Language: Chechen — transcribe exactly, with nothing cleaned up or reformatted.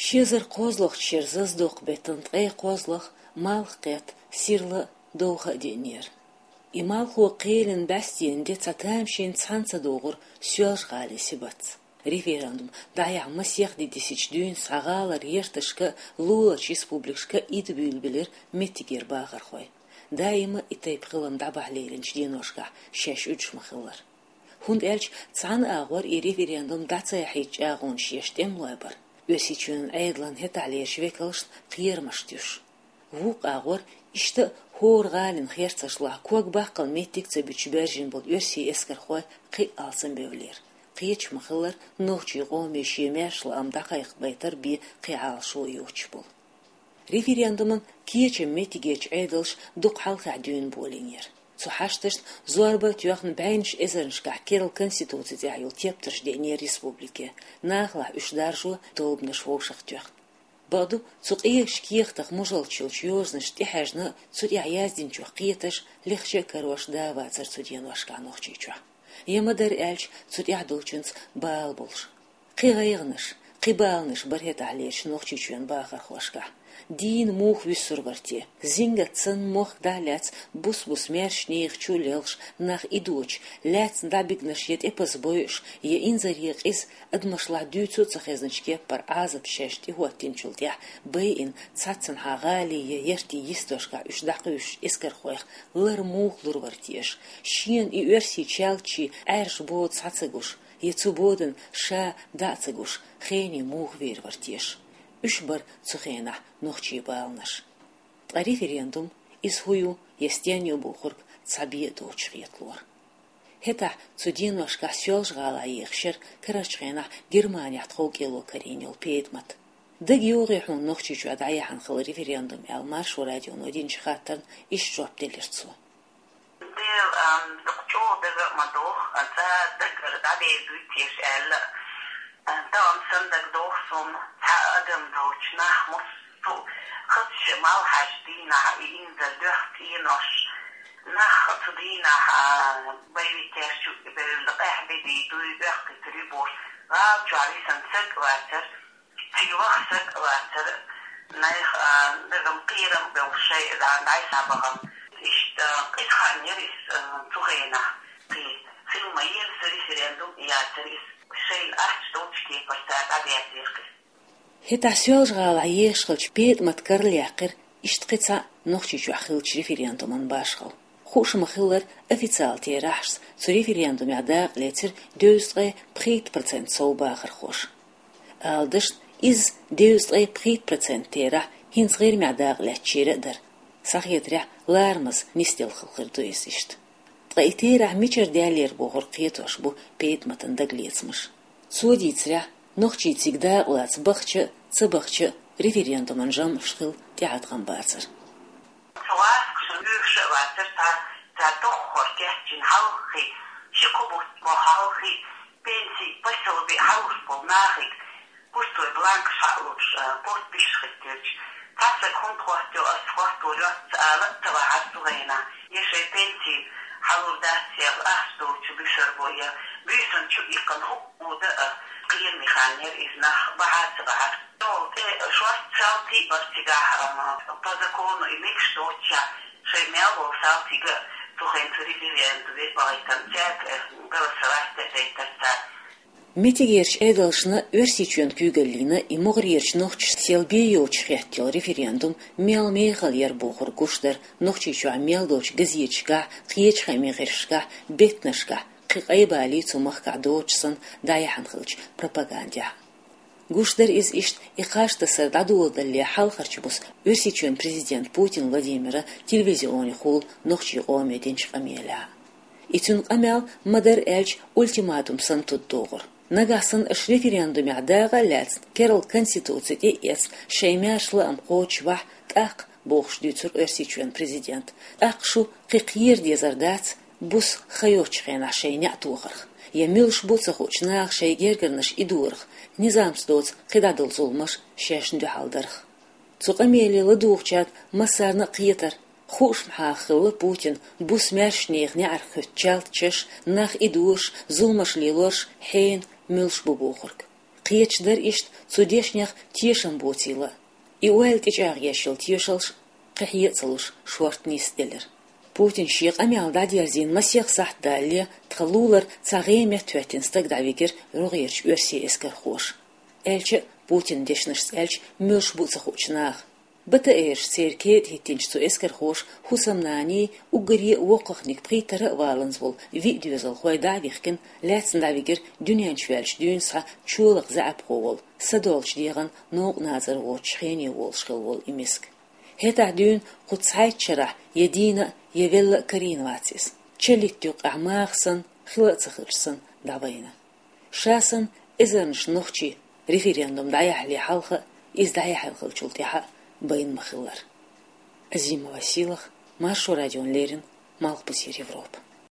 Ши эзар кхозлагӀча шера зазадоккху беттан ткъе кхозлагӀа малх кхетта, сирла а, довха а деанера. И малхо кхелина бӀаьстенан де цхьа тамашийна цхьаьна ца догӀура Соьлжа-ГӀалин сибатца. Референдум дӀаяхьа масех ди дисича дуьйна цхьа гӀалара гӀерташка а, луларчу республикашка а идабуьйлабелира меттигера бахархой. Даима и тайпа хилам дӀабахьа леринчу деношкахь шаьш уьдуш ма-хиллара. ХӀунда аьлча цхьана агӀор и референдум дӀа ца яхьийта чӀагӀонаш еш тӀемалой бара. Оьрсийчоьнан Ӏедалан хӀетахьлерчу векалшна кхерамаш туьйсуш. Вукху агӀор иштта а хӀора гӀалина херцашлахь ког баккхал меттиг а ца буьтуш баьржина болу оьрсийн эскархой кхин а алсамбевллера. Кхеташ ма-хиллара, нохчийн къоме шен маьрша лаам дӀакхайкхабайтар бен кхин Ӏалашо а йоцуш болу. Референдуман кечам меттигерчу Ӏедалша дукха хьалхахь дуьйна болийнера. Цу хьашташна зорба а тоьхна, бӀеннаш эзарнашкахь керла конституци тӀехь йолу тептарш деанера республике, нахалахь уьш даржо, тобанаш вовшахтоьхна. Бакъду, цу къегачу кехатах мужалча йолчу йозанашна тӀехьаьжна а, цу тӀехь яздинчух кхеташ, лехча а карош да а вацара цу деношкахь Нохчийчохь. Я ма-дарра аьлча, цу тӀехь долчуьнца бала болуш. Кхин гӀайгӀанаш, кхин баланаш бара хӀетахьлерчу Нохчийчоьнан бахархошкахь. Дийна муха вуьсур вара те? Зингат санна мохк дӀа а лаьцна, бус-бус маьршачу нехан чу а лелхаш, нах идочу, лаьцна дӀабигнарш я тӀепаза бойуш, я инзаре къиза, адамашлахь дуьйцу а ца хезначу кеппара Ӏазапца шаьш тӀехӀоттинчул тӀаьхьа байина, цхьаццанхьа гӀалин я яртийн йистошкахь уьш дӀакхуьйсучу эскархойх лар муха лур вара теша? Шена и оьрсийн чалтчий Ӏаьржа бода схьа ца гуш, я цу бодан ша дӀа а ца гуш, хене муха вер вара теша? Уьш бара цу хенахь нохчийн баланаш. Ткъа референдум, иза хӀун ю я стенна ю бохург цхьа бен а доцуш хеталора. ХӀетахь цу деношкахь Соьлжа-ГӀалахь ехаш яра карарчу хенахь Германехь тховкӀело карийна йолу ПетӀамат. ДагайогӀий хьуна Нохчийчохь дӀаяхьна хилла референдум аьлла, Маршо радионо динчу хаттарна иштта жоп делира цо. Дела, ам, дукха чӀогӀа дага а ма доху, а, цара дагара дӀадер дуй теша аьлла. А, тахана сан дага доху суна, цхьа адам доцуш нах массо а хазачу малхьаш дийнахь, и инзар дуьхьа цӀенош, нах цу дийнахь, а, боевикаш чу бевлла къаьхьа бедий дуй, бехкийтур ю бохуш, гӀала чохь висина саг а вацара, цига ваха саг а вацара, нах, а, дагам кхерам а бевлла шайн а дӀа-, дӀай схьабахана. Иштта, а, кхин хан яра иза, а, цу хенахь, кхин хила ма-елла сан референдум а яцара иза, шайна ахча долчу кепара цара дӀадерзийра кхин. ХӀетахь Соьлжа-ГӀалахь ехаш хилча ПетӀамат карла яьккхира иштта кхин цхьаъ Нохчийчохь хиллачу референдуман башхалла. Хууш ма-хиллара, официалан терахьашца цу референдумехь дакъа лецира дезткъе пхийтта процент сов бахархоша. Ала дашна, иза дезткъе пхийтта процент терахь хӀинца ГӀирмехь дакъа лаьцначеран а дара. Схьахетарехь, ларамаза нисделла хилла хир ду иза иштта. Ткъа и терахь мичара даьллера бохург кхетош бу ПетӀаматан дагалецамаш. Цо дийцарехь, нохчий цига дакъа лаца бахча а, ца бахча а, референдуман жамӀаш хила тӀеӀаткъам бацара. Цу гӀазкхаша лоьхуш а вацара цхьа, цхьа тоххара кечйина хьалххе, ши-кхо бутт боху хьалххе, пенсий, посёби хьалуш болу нахе пустой бланкаш хьа а луш, а, подписаш хӀиттелча, цхьа саг хӀунда хӀоттайо, ас хӀотто йоццу ала а ца вахьара цу хенахь, я шайн пенси хьалур дац, я ахча долчу буьшар бу, я буьйсанна чу иккхина хӀуъа а, кхераме хан яра иза, нах бахьа а ца бахьара. Цул тӀе шорта салтий а бара цигахь, а, по закону и мегаш доцчохь, шайн мел волу салтий а цу хенахь цу референдуман ве бахийтина цаьрга, э, голосовать дайтар цара. Меттигерчу Ӏедалшна, Оьрсийчоьнан куьйгаллина и могӀарерчу нохчашна сел бен йоцуш хеттайолу референдум мел мехала яра бохург гуш дара Нохчийчохь мел долчу газеташкахь, кхечу хаамийн гӀирсашкахь, беттанашкахь, кхин къайбалий цу махкахь доцуш санна дӀаяьхьна хиллачу пропагандехь. Гуш дара иза иштта и кхаж тасар дӀадоладалале хьалхарчу буса Оьрсийчоьнан президента Путин Владимира телевизионехула нохчийн къоме динчу къамелехь. И цуьнан къамел, ма-дарра аьлча, ультиматум санна тудадогӀура. Нагахь санна аша референдумехь дакъа а лаьцна, керла конституци тӀе а эцна, шайн маьрша лаам кхочушбахь, тӀаккха, бохуш дуьйцура Оьрсийчоьнан президента, тӀаккха шу кхин кхера дезар дац, буса хан йоцчу хенахь шайн неӀ тохарх, я муьлш бу ца хуучу наха шайн гергарнаш идорах, низамца доцу кхидӀа долу зуламаш шайшна дуьхьал дарх. Цу къамеле ладугӀучаьрга массарна а кхетара, хууш ма-хилла Путина буса маьршачу нехан неӀарх хӀуьтту чалтачаш, нах идораш, зуламаш лелораш хьенан муьлш бу бохург. Кхеташ дара иштта цу дешнех тешам боцийла. И ойла тӀечӀагӀъеш йолу тешалш кхин хье а ца луш, шорта нисделира. Путина шен къамел дӀадерзийна масех сахьт далале, тхан лулара цхьа гӀеметтахӀоьттина стаг дӀавигира рогӀерачу оьрсийн эскархоша. Аьлча а, Путинан дешнашца аьлча, муьлш бу а ца хуучу наха. БТР-аш церан кетӀа хӀиттинчу цу эскархоша хӀусамнаний, уггаре а воккхахниг пхийттара а валанза волу виъ доьзалхой дӀа а вихкина, лаьцна дӀавигира дуьнен чу ваьллачу дуьйна схьа чолакха заьӀапхо волу, садолчу дегӀан новкъа назар воцучу хене волуш хилла волу и миска. ХӀетахь дуьйна кху цхьайтта шарахь я дийна а, я велла а карийна вац иза. Чаллитта юккъехь маха санна, хила а ца хилча санна, дӀавайна. Ша санна, эзарнаш нохчий референдум дӀаяхьале хьалха а, иза дӀаяьхьна хиллачул тӀаьхьа а байна ма-хиллара. Азима Василах, Маршо радиона леррина, Малхбузера Европа.